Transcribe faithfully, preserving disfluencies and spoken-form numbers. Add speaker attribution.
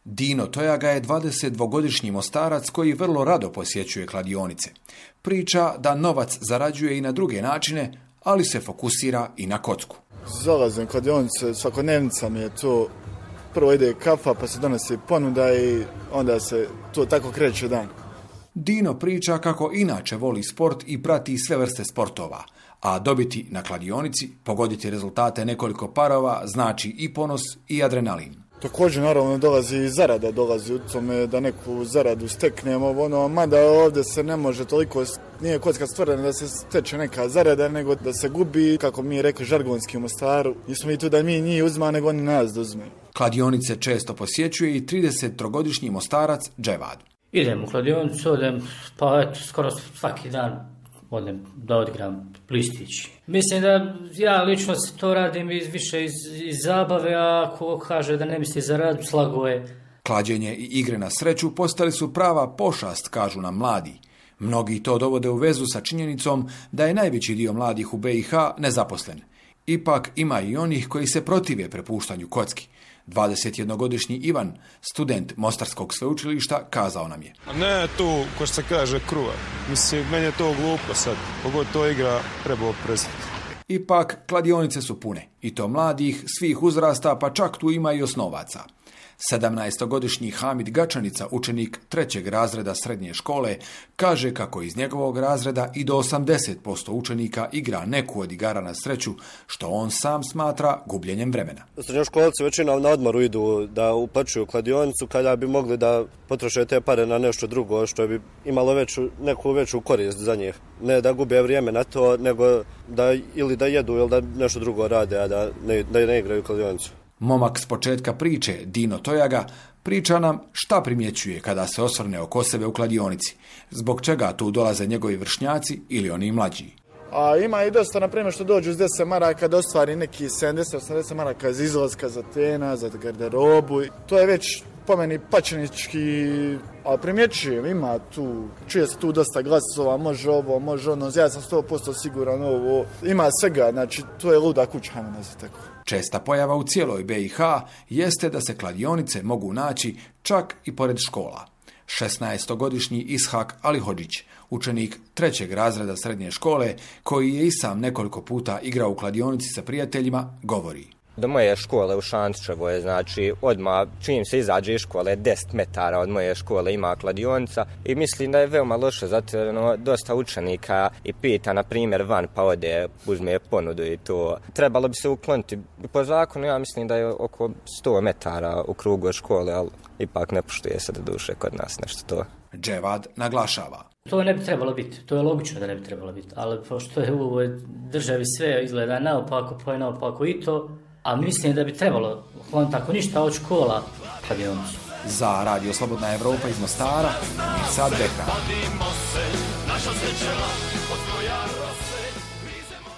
Speaker 1: Dino Tojaga je dvadesetdvogodišnji Mostarac koji vrlo rado posjećuje kladionice. Priča da novac zarađuje i na druge načine, ali se fokusira i na kocku.
Speaker 2: Zalazim kladionice, svakodnevnica mi je to. Prvo ide kafa, pa se donosi ponuda i onda se to tako kreće dan.
Speaker 1: Dino priča kako inače voli sport i prati sve vrste sportova, a dobiti na kladionici, pogoditi rezultate nekoliko parova, znači i ponos i adrenalin.
Speaker 2: Također naravno dolazi i zarada, dolazi u tome da neku zaradu steknemo, ono, mada ovdje se ne može toliko, nije kocka stvorena da se steče neka zarada, nego da se gubi, kako mi je rekao žargonski u Mostaru, nismo mi tu da mi njih uzma, nego oni nas da uzme.
Speaker 1: Kladionice često posjećuje i tridesettrogodišnji Mostarac Dževad.
Speaker 3: Idem u kladionicu, odem, pa eto, skoro svaki dan odem da odigram listić. Mislim da ja lično to radim iz, više iz, iz zabave, a ako kaže da ne misli za rad, slago je.
Speaker 1: Klađenje i igre na sreću postali su prava pošast, kažu nam mladi. Mnogi to dovode u vezu sa činjenicom da je najveći dio mladih u B i H nezaposlen. Ipak ima i onih koji se protive prepuštanju kocki. dvadesetjednogodišnji Ivan, student Mostarskog sveučilišta, kazao nam je.
Speaker 4: A ne tu, ko što se kaže, kruva. Mislim, meni je to glupo sad. Pogod to igra, trebao prestati.
Speaker 1: Ipak, kladionice su pune. I to mladih, svih uzrasta, pa čak tu ima i osnovaca. sedamnaestogodišnji Hamid Gačanica, učenik trećeg razreda srednje škole, kaže kako iz njegovog razreda i do osamdeset posto učenika igra neku od igara na sreću, što on sam smatra gubljenjem vremena.
Speaker 5: Srednjoškolci većinom na odmoru idu da uplaćuju kladionicu kada bi mogli da potroše te pare na nešto drugo što bi imalo veću, neku veću korist za njih. Ne da gube vrijeme na to, nego da ili da jedu ili da nešto drugo rade, a da ne, da ne igraju kladionicu.
Speaker 1: Momak s početka priče, Dino Tojaga, priča nam šta primjećuje kada se osvrne oko sebe u kladionici, zbog čega tu dolaze njegovi vršnjaci ili oni mlađi.
Speaker 2: A ima i dosta, na primjer, što dođu s deset maraka da ostvari neki sedamdeset osamdeset maraka za izlaska, za tena, za garderobu. To je već po meni pačenički, a primjećujem, ima tu, čuje se tu dosta glasova, može ovo, može ono, ja sam sto posto siguran ovo, ima svega, znači to je luda kuća, hajmo nazvati tako.
Speaker 1: Česta pojava u cijeloj B i H jeste da se kladionice mogu naći čak i pored škola. šesnaestogodišnji Ishak Alihodžić, učenik trećeg razreda srednje škole, koji je i sam nekoliko puta igrao u kladionici sa prijateljima, govori.
Speaker 6: Do moje škole u Šančevoj, znači odmah čim se izađe iz škole, deset metara od moje škole ima kladionica i mislim da je veoma loše, zato jer no, dosta učenika i pita, na primjer, van pa ode, uzme ponudu i to. Trebalo bi se ukloniti. Po zakonu ja mislim da je oko sto metara u krugu škole, ali ipak ne poštuje se do duše kod nas nešto to.
Speaker 1: Dževad naglašava.
Speaker 3: To ne bi trebalo biti, to je logično da ne bi trebalo biti, ali pošto je u ovoj državi sve izgleda naopako, pa je naopako i to, a mislim da bi trebalo, on tako ništa od škola, kladionicu.
Speaker 1: Za Radio Slobodna Evropa iz Mostara, Mirsad Bekra.